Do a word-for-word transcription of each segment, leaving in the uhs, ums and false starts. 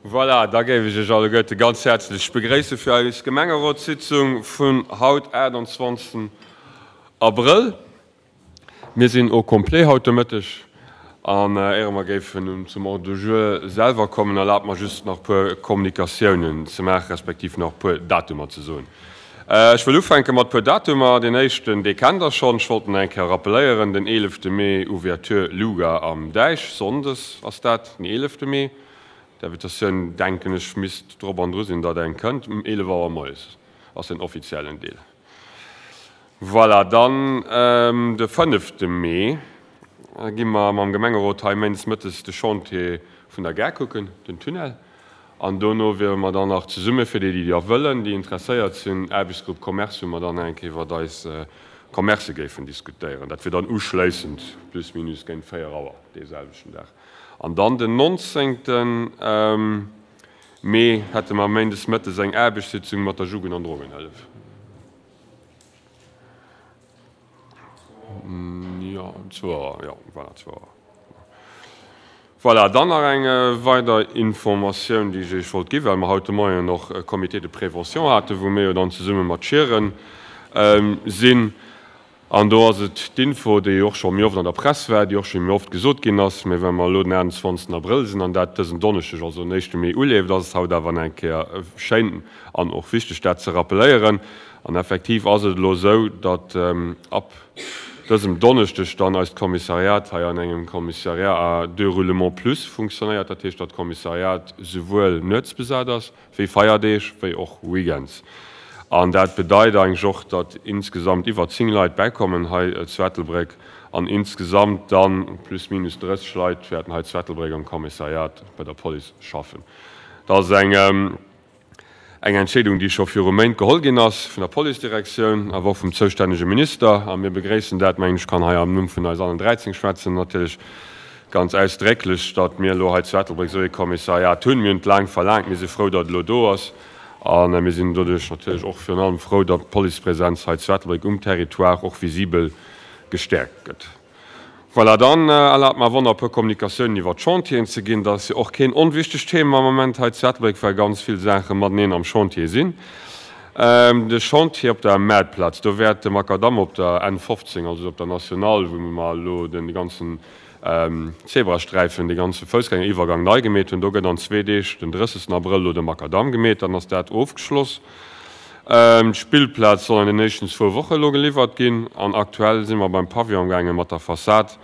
Voilà, da géif ech Iech alleguerte ganz häerzlech begréisse fir eis Gemengerotssitzung vun haut, aachtanzwanzegsten Abrëll. Mir sinn au complet haut de Mëtteg. An éiere mer géifen zum Ordre du jour selwer kommen, erlaabt mer just nach e puer Kommunikatiounen ze maachen, respektiv nach e puer Datumer ze soen. Ech wëll ufänke mat e puer Datumer. Deen éischten, dee kennt Der schonn, ech wollt en eng Kéier rappeléieren, den eelefte Mee, Ouverture Luga am Däich, sonndes ass dat, den eelefte Mee. D'Invitatioun, denken ech, misst drop an dru sinn, datt eng kënnt. Um eelef Auer moies ass den offiziellen Deel. Voilà, dann de fënnefte Mee gi mer mam Gemengerot hei méindes mëttes de Chantier vun der Gare kucken, den Tunnel. An dono wiere mer dann nach zesumme fir déi, déi da wëllen, déi interesséiert sinn, Aarbechtsgrupp Commerce, wou mer dann eng Kéier iwwert eis Commercë géifen diskutéieren. Dat wier dann uschléissend plus minus géint véier Auer dee selwechten Dag. An dann den nonzéngte Mee hätte mer méindes mëttes eng Aarbechtssitzung mat der Jugend an Drogenhëllef. Jo, zwou Auer, jo, voilà, zwou Auer. Voilà, dann nach eng weider Informatioun, déi ech Iech wollt ginn, well mer haut de Moien och e Comité de prévention haten, wou mir jo dann zesumme mat Schieren sinn. An do ass et d'Info, déi och scho méi oft an der Press war, déi och scho méi oft gesot ginn ass, mä well mer elo den aachtanzwanzegsten Abrëll sinn an dat dësen Donneschdeg, also den éischte Mee, uleeft, ass et haut awer nach eng Kéier schéin an och wichteg, dat ze rappeléieren. An effektiv ass et elo esou, datt ab dësem Donneschdeg dann eist Kommissariat hei an engem Commissariat à deux roulements plus funktionéiert. Dat heescht, datt d'Kommissariat souwuel nuets besat ass, wéi Feierdeeg, wéi och Weekends. An dat bedeit eigentlech och, datt insgesamt iwwer zéng Leit bäikommen hei zu Ettelbréck an insgesamt dann plus minus drësseg Leit wäerten hei zu Ettelbréck am Kommissariat bei der Police schaffen. Dat ass eng eng Entscheedung, déi scho viru Méint geholl ginn ass vun der Policedirektioun, awer och vum zoustännege Minister. A mir begréissen dat, mengen ech, kann hei am Numm vun eis allen dräizéng schwätzen, natierlech ganz ausdrécklech, datt mir elo hei zu Ettelbréck esou ee Kommissariat hunn. Mir hunn et laang verlaangt, mir si frou, datt et elo do ass. A mir sinn doduerch natierlech och virun allem frou, datt d'Policepresenz hei zu Ettelbréck um Territoire och visibel gestäerkt gëtt. Voilà, dann erlaabt mer awer och nach e puer Kommunikatiounen iwwert d'Chantieren ze ginn. Dat ass jo och keen onwichtegt Thema am Moment hei zu Ettelbréck, well ganz vill Saache mateneen am Chantier sinn. De Chantier op der Maartplaz, do wäert de Makadamm op der N fofzéng, also op der Nationale, wou mer elo de ganzen Zebrasträifen, dee ganze Foussgängeriwwergang nei gemeet hunn. Do gëtt an zwee Deeg, den drëssegsten Abrëll, elo de Makadamm gemeet, dann ass dat ofgeschloss. D'Spillplaz soll an den éischten zwou Woche elo geliwwert ginn an aktuell si mer beim Pavillon amgaange mat der Fassad,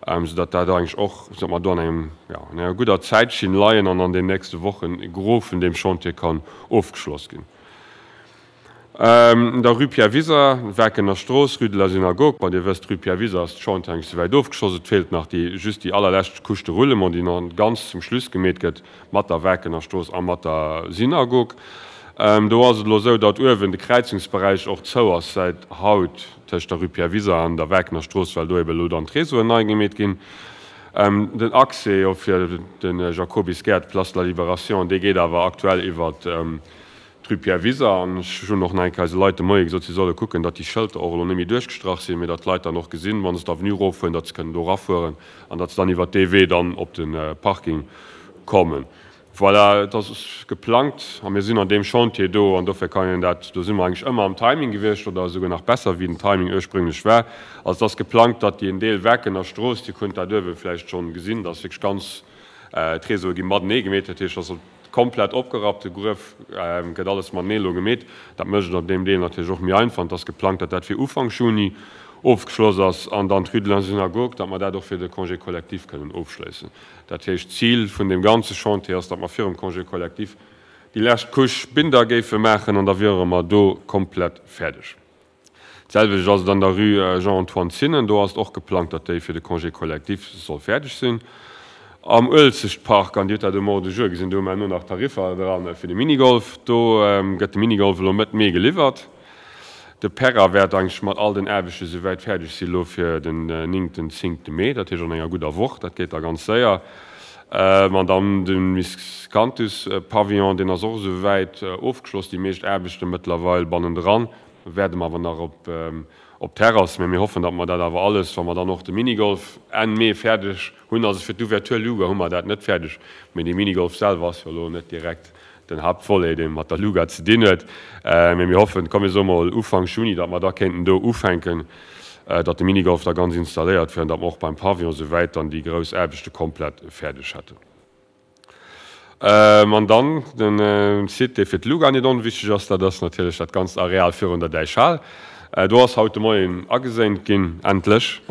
soudatt dat eigentlech och, soudatt mer do an engem, jo, an enger gudder Zäitschinn leien an an den nächste Wochen e Gros vun deem Chantier kann ofgeschloss ginn. Un der Rue Pierre Wiser, Werkener Strooss, Rue de la Synagogue, bon, Dir wësst, Rue Pierre Wiser ass d'Chantier eigentlich souwäit ofgeschloss, et feelt nach déi, just déi allerlescht Couche de roulement, déi nach ganz zum Schluss gemeet gëtt mat der Werkener Strooss a mat der Synagogue. Do ass et elo esou, datt uewen de Kräizungsberäich och zou ass säit haut tëscht der Rue Pierre Wiser an der Werkener Strooss, well do ebe elo dann d'Réseauen nei gemeet ginn. Den Accès jo fir de Jacobisgäert, Place de la Libération, dee geet awer aktuell iwwert d'Rue Pierre Wiser, an ech hunn och nach eng Kéier eise Leit de Moie gesot, si solle kucken, datt déi Schëlter och elo net méi duerchgestrach sinn, mee datt d'Leit dann och gesinn, wa se d'Avenue eroffueren, datt se kënnen do erafueren an datt se dann iwwert dee Wee dann op de Parking kommen. Voilà, et ass geplangt a mir sinn an deem Chantier do an dofir kann een dat, do si mer eigentlech ëmmer am Timing gewiescht oder esouguer nach besser wéi den Timing ursprünglech war. Also et ass geplangt, datt déi en Deel Werkener Strooss, Dir kunnt dat uewe vläicht schonn gesinn, datt wierklech ganz d'Réseaue gi matenee gemeet, dat heescht, datt Komplett opgerappt, de Gruef gëtt alles matenee elo gemeet. Dat mécht et an deem Deel natierlech och méi einfach. An et ass geplangt, datt dat fir Ufank Juni ofgeschloss ass an dann d'Rue de la Synagogue, datt mer dat och fir de Congé collectif kënnen ofschléissen. Dat heescht, d'Zil vun deem ganze Chantier ass, datt mer virum Congé collectif déi lescht Couche Binder géife maachen an da wiere mer do komplett fäerdeg. D'selwecht ass et an der Rue Jean-Antoine Zinnen. Do ass et och geplangt, datt déi fir de Congé collectif soll fäerdeg sinn. Am Uelzechtpark, an Dir hutt dat um Ordre du jour gesinn, do hu mer herno nach Tariffer dran fir de Minigolf. Do gëtt de Minigolf elo Mëtt Mee geliwwert. De Perra wäert eigentlech mat all den Aarbechte souwäit fäerdeg si elo fir den néngten, zéngte Mee, dat heescht an enger gudder Woch. Dat geet da ganz séier. An dann de Miscanthus-Pavillon, deen ass och esouwäit ofgeschloss, déi meescht Aarbechte mëttlerweil bannendran. Wäerte mer awer nach op op d'Terrass. Mee mir hoffen, datt mer dat awer alles, wa mer dann och de Minigolf Enn Mee fäerdeg hunn, also fir d'Ouverture Luga hu mer dat net fäerdeg, mee de Minigolf selwer ass jo elo net direkt den Haaptvolet, dee mat der Luga ze dinn huet. Mee mir hoffen, komm mir soe mol Ufank Juni, datt mer da kéinten do ufänken, datt de Minigolf da ganz installéiert wier an datt mer och beim Pavillon souwäit dann déi grouss Aarbechte komplett fäerdeg hätten. An dann de Site, dee fir d'Luga net onwichtig ass, dat ass natierlech dat ganzt Areal virun der Däichhal. Do ass haut de Moien ageséint ginn, endlech.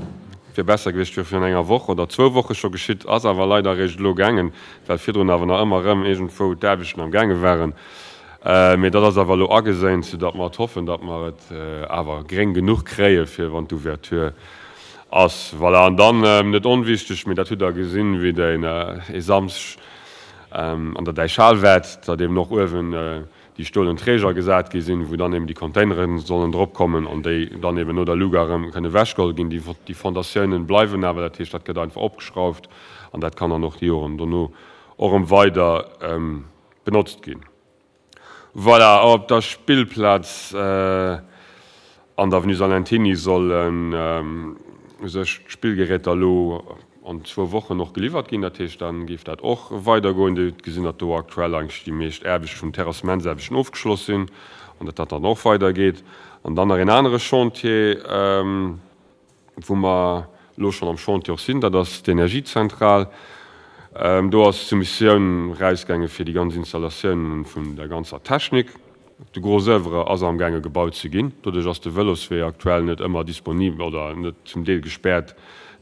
Wier besser gewiescht, wier virun enger Woch oder zwou Woche scho geschitt, ass awer leider eréischt elo gaangen, well virdrun awer nach ëmmer erëm iergendwou d'Aarbechten am gaange waren. Mee dat ass awer elo ageséint, soudatt mer et hoffen, datt mer et awer gréng genuch kréie fir wann d'Ouverture ass. Voilà, an dann, net onwichteg, mee dat hutt Der gesinn, wéi Der e Samschdeg an der Däichhal waart, datt eben och uewen déi stolen Träger gesat gi sinn, wou dann eben déi Containere sollen drop kommen an déi dann eben no der Luga erëm kënne ewechgeholl ginn. Déi Fondatiounen bleiwen awer, dat heescht, dat gëtt einfach opgeschrauft an dat kann dann och déi Joren dono och erëm weider benotzt ginn. Voilà, op der Spillplaz an der Avenue Salentiny sollen u sech d'Spillgeräter elo an zwou Wochen och geliwwert ginn. Dat heescht, da géif dat och weidergoen. Dir hutt gesinn, datt do aktuell eigentlech déi meescht Aarbechte vun Terrassementsaarbechten ofgeschloss sinn an datt dat dann och weidergeet. An dann nach een anere Chantier, wou mer elo schonn am Chantier och sinn, dat ass d'Energiezentral. Do ass d'Soumissioun erausgaange fir déi ganz Installatiounen vun der ganzer Technik. De Gros oeuvre ass amgaange gebaut ze ginn. Doduerch ass de Vëloswee aktuell net ëmmer disponibel oder net zum Deel gespäert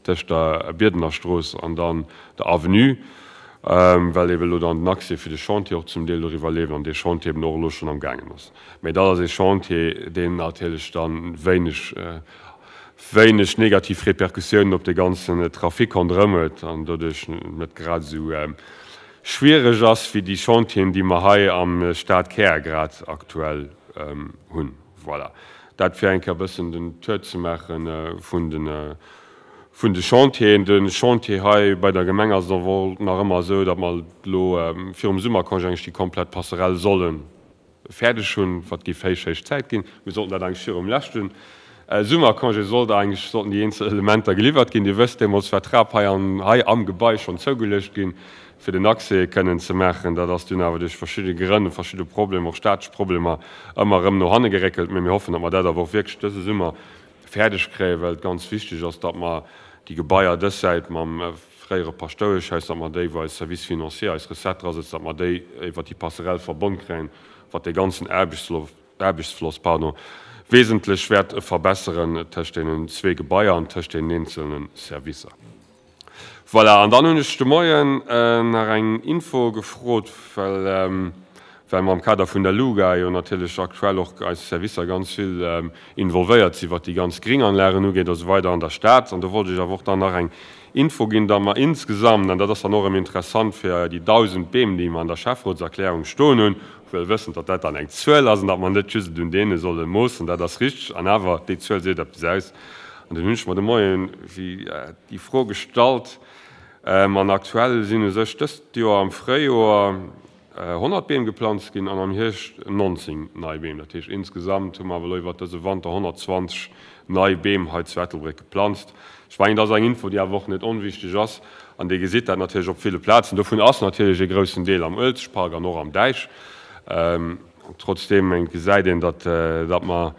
tëscht der Bierdener Strooss an dann der Avenue, well eben elo dann den Accès fir de Chantier och zum Deel doriwwer leeft an dee Chantier eben och elo schonn amgaangen ass. Mä dat ass ee Chantier, deen natierlech dann wéineg, wéineg negativ Repercussiounen op de ganzen Trafic ronderëm huet an doduerch net grad esou schwiereg ass wéi déi Chantieren, déi mer hei am Stadkär grad aktuell hunn. Voilà, dat fir eng Kéier e bëssen den Tour ze maache vun de vun de Chantieren. De Chantier hei bei der Gemeng ass et och nach ëmmer esou, datt mer elo virum Summercongé eigentlech déi komplett Passerelle solle fäerdeg hunn, wat géif héich, héich Zäit ginn. Mir sollten dat eigentlech virum leschte Summercongé sollt eigentlech, sollten déi eenzel Elementer geliwwert ginn. Dir wësst, deemools war d'Trap hei an, hei am Gebai schonn zougeluecht ginn, fir den Accès kënnen ze maachen. Dat ass dunn awer duerch verschidde Grënn, verschidde Problemer, och staatlech Problemer, ëmmer erëm no hanne geréckelt. Mee mir hoffen, datt mer dat awer och wierklech dëse Summer fäerdeg kréien, well et ganz wichteg ass, datt mer déi Gebaier dës Säit mam fréiere Paschtoueschhaus, datt mer déi, wou eis Service financier, eis Recette dra sëtzt, datt mer déi iwwert déi Passerelle verbonn kréien, wat dee ganzen Aarbechtsfloss, pardon, wesentlech wäert verbesseren tëscht deenen zwee Gebaier an tëscht deenen eenzelne Servicer. Voilà, an dann hunn ech de Moien nach eng Info gefrot, well well mer am Kader vun der LUGA jo natierlech aktuell och eis Servicer ganz vill involvéiert sinn, wat déi ganz Gringanlagen ugeet a sou weider an der Stad. An do wollt ech awer och dann nach eng Info ginn, datt mer insgesamt, an dat ass dann och erëm interessant fir déi dausend Beem, déi mer an der Schäfferotserklärung stoen hunn, wuel wëssend, datt dat dann eng Zuel ass an datt mer net just et un deene solle moossen, dat ass richteg, an awer, déi Zuel seet eppes aus. An dunn hunn ech mer de Moien déi Fro gestallt, an aktuell sinn u sech dëst Joer am Fréijoer honnert Beem geplanzt ginn an am Hierscht nonzéng nei Beem. Dat heescht, insgesamt hu mer awer elo iwwert dëse Wanter honnertzwanzeg nei Beem hei zu Ettelbréck geplanzt. Ech mengen, dat ass eng Info, déi awer och net onwichtig ass. An Dir gesitt dat natierlech op ville Plazen. Dovun ass natierlech e groussen Deel am Uelzechtpark an och am Däich. Trotzdeem gesäit een, datt mer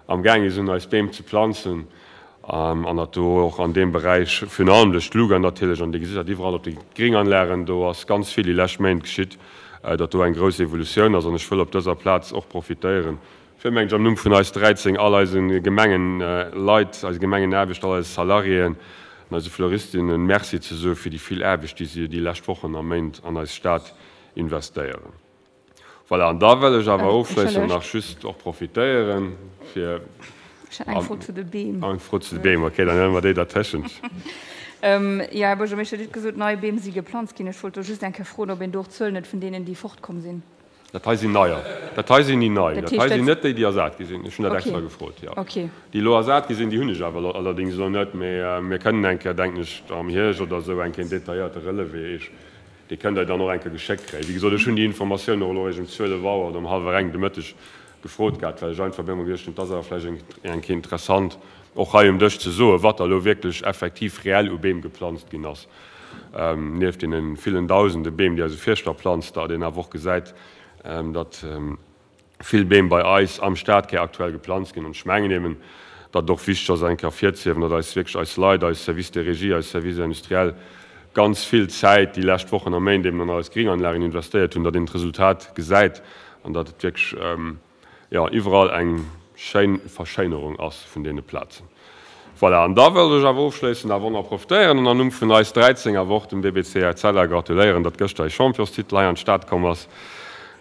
amgaange sinn, eis Beem ze planzen. An datt do och an deem Beräich, virun allem duerch d'Luga natierlech, an Dir gesitt dat iwwerall op de Gringanlagen, do ass ganz vill déi lescht Méint geschitt, datt do eng grouss Evolutioun ass. An ech wëll op dëser Plaz och profitéieren, fir, mengen ech, am Numm vun eis dräizéng, all eise Gemengeleit, eise Gemengenaarbechter, all eise Salariéen an eise Fleuristinnen Merci ze soe fir déi vill Aarbecht, déi si déi lescht Wochen a Méint an eis Stad investéieren. Voilà, an da wëll ech awer ofschléissend nach just och profitéieren, fir. Ech hat eng Fro zu de Beem. Eng Fro zu de Beem, okay, dann huele mer déi dertëschent. Jo, Här Buergermeeschter, Dir hutt gesot, nei Beem si geplanzt ginn. Ech wollt do just eng Kéier froen, ob een do och d'Zuelen huet vun deenen, déi fortkomm sinn. Dat hei sinn neier. Dat hei sinn déi nei. Dat hei sinn net déi, déi ersat gi sinn. Ech hunn dat extra gefrot, jo. Déi elo ersat gi sinn, déi hunn ech awer allerdéngs elo net. Mee mir kënnen eng Kéier, denken ech, am Hierscht oder esou eng Kéier en detailléierte Relevé eech Dee kënnt Der dann och eng Kéier geschéckt kréien. Wéi gesot, ech hunn déi Informatioun och elo eréischt um zwielef Auer oder um hallwer eng de Mëtteg gefrot gehat, well ech einfach mir ëmmer geduecht hunn, et ass awer vläicht eng eng Kéier interessant, och hei um Dësch ze soen, wat da elo wierklech effektiv reell u Beem geplanzt ginn ass, nieft deene villen Dausende Beem, déi eise Fierschter planzt, datt een awer och gesäit, datt vill Beem bei eis am Stadkär aktuell geplanzt ginn. An ech mengen eben, datt et och wichteg ass, eng Kéier ervirzehiewen, datt eis wierklech eis Leit, eis Services de régie, eis Services industriels ganz vill Zäit déi lescht Wochen a Méint eben an eis Gringanlagen investéiert hunn, datt een d'Resultat gesäit an datt et wierklech, jo, iwwerall eng schéin Verschéinerung ass vun deene Plazen. Voilà, an da wëllt ech awer ofschléissend awer och nach profitéieren an am Numm vun eis dräizéng awer och dem D B C Etzella gratuléieren, datt gëschter ee Championstitel hei an d'Stad komm ass.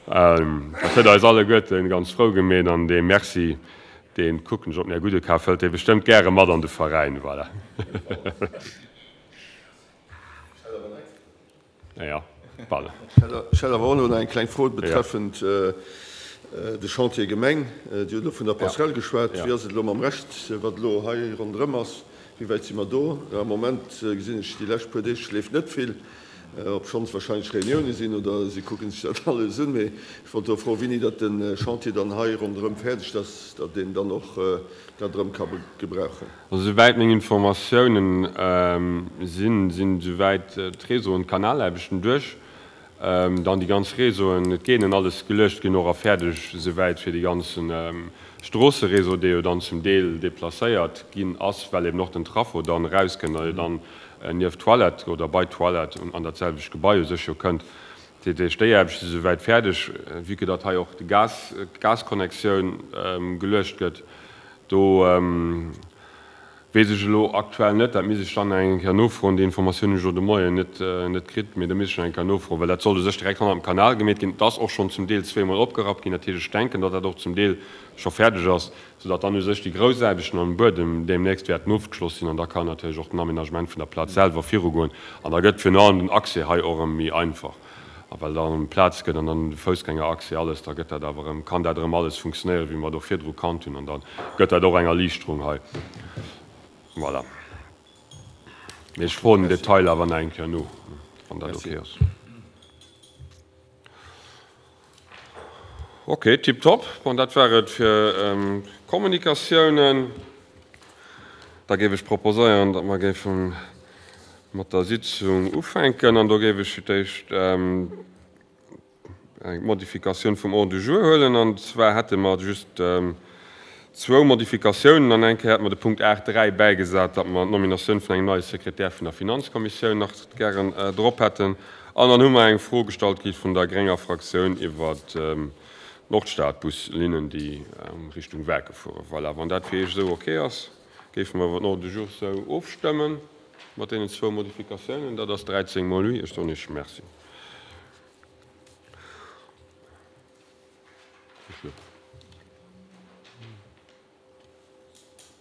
Dat huet eis alleguerte ganz frou gemeet an dee Merci, dee kucken ech op den Här Gudekaf, hëlt dee bestëmmt gäre mat an de Veräin. Voilà. Ja, pardon. Ech hätt awer och nach eng kleng Fro betreffend de Chantier Gemeng. Dir hutt elo vun der Passerelle geschwat. Wéi ass et elo mam Rescht, wat elo hei ronderëm ass? Wéi wäit si mer do? Am Moment gesinn ech, déi lescht puer Deeg leeft net vill, obschonns wahrscheinlech Reunioune sinn oder si kucke sech dat alles un. Mee ech wollt do froen, wéini datt de Chantier dann hei ronderëm fäerdeg ass, datt een dann och dat erëm ka gebrauchen. Also souwäit meng Informatiounen sinn, sinn souwäit d'Réseauen, d'Kanalaarbechten duerch, dann déi ganz Réseauen, et géingen alles geluecht ginn och a fäerdeg souwäit fir dee ganze Stroosseréseau, dee jo dann zum Deel déplacéiert ginn ass, well eben och den Traffo dann erauskënnt a jo dann nieft d'Toilette oder bei d'Toilette an dat selwecht Gebai u sech jo kënnt. Dat heescht, déi Aarbechte si souwäit fäerdeg, vue que datt hei och de Gas, d'Gasconnectioun geluecht gëtt. Do weess ech elo aktuell net, dat misst ech dann eng Kéier nofroen, déi Informatioun hunn ech elo de Moien net net kritt, mee do misst ech nach eng Kéier nofroen, well dat sollt u sech direkt hannert dem Kanal gemeet ginn. Et ass och schonn zum Deel zweemol opgerappt ginn, dat heescht, ech denken, datt dat och zum Deel scho fäerdeg ass, soudatt dann u sech déi grouss Aarbechten am Buedem deemnächst wäerten ofgeschloss sinn an da kann natierlech och den Aménagement vun der Plaz selwer virugoen an da gëtt virun allem den Accès hei och erëm méi einfach. A well da erëm Plaz gëtt an dann de Foussgängeraccès, alles, da gëtt dat awer erëm, kann dat erëm alles funktionéieren, wéi mer et och virdru kannt hunn. An da gëtt dat och eng Erliichterung hei. Voilà. Mee ech froen den Detail awer nach eng Kéier no, wann dat ok ass. Ok, tiptop. Bon, dat war et fir d'Kommunikatiounen. Da géif ech proposéieren, datt mer géife mat der Sitzung ufänken an do géif ech fir d'éischt eng Modifikatioun vum Ordre du jour huelen. An zwar hätte mer just zwou Modifikatiounen. An eng Kéier hätte mer de Punkt aacht dräi bäigesat, datt mer d'Nominatioun vun engem neie Sekretär vun der Finanzkommissioun nach gären drop hätten. An dann hu mer eng Fro gestallt kritt vun der grénger Fraktioun iwwert d'Nordstadbuslinnen, déi Richtung Werke fueren. Voilà, wann dat fir Iech esou ok ass, géife mer iwwer den Ordre du jour esou ofstëmmen. Mat deenen zwou Modifikatiounen, dat ass dräizéng mol oui. Ech soen Iech Merci.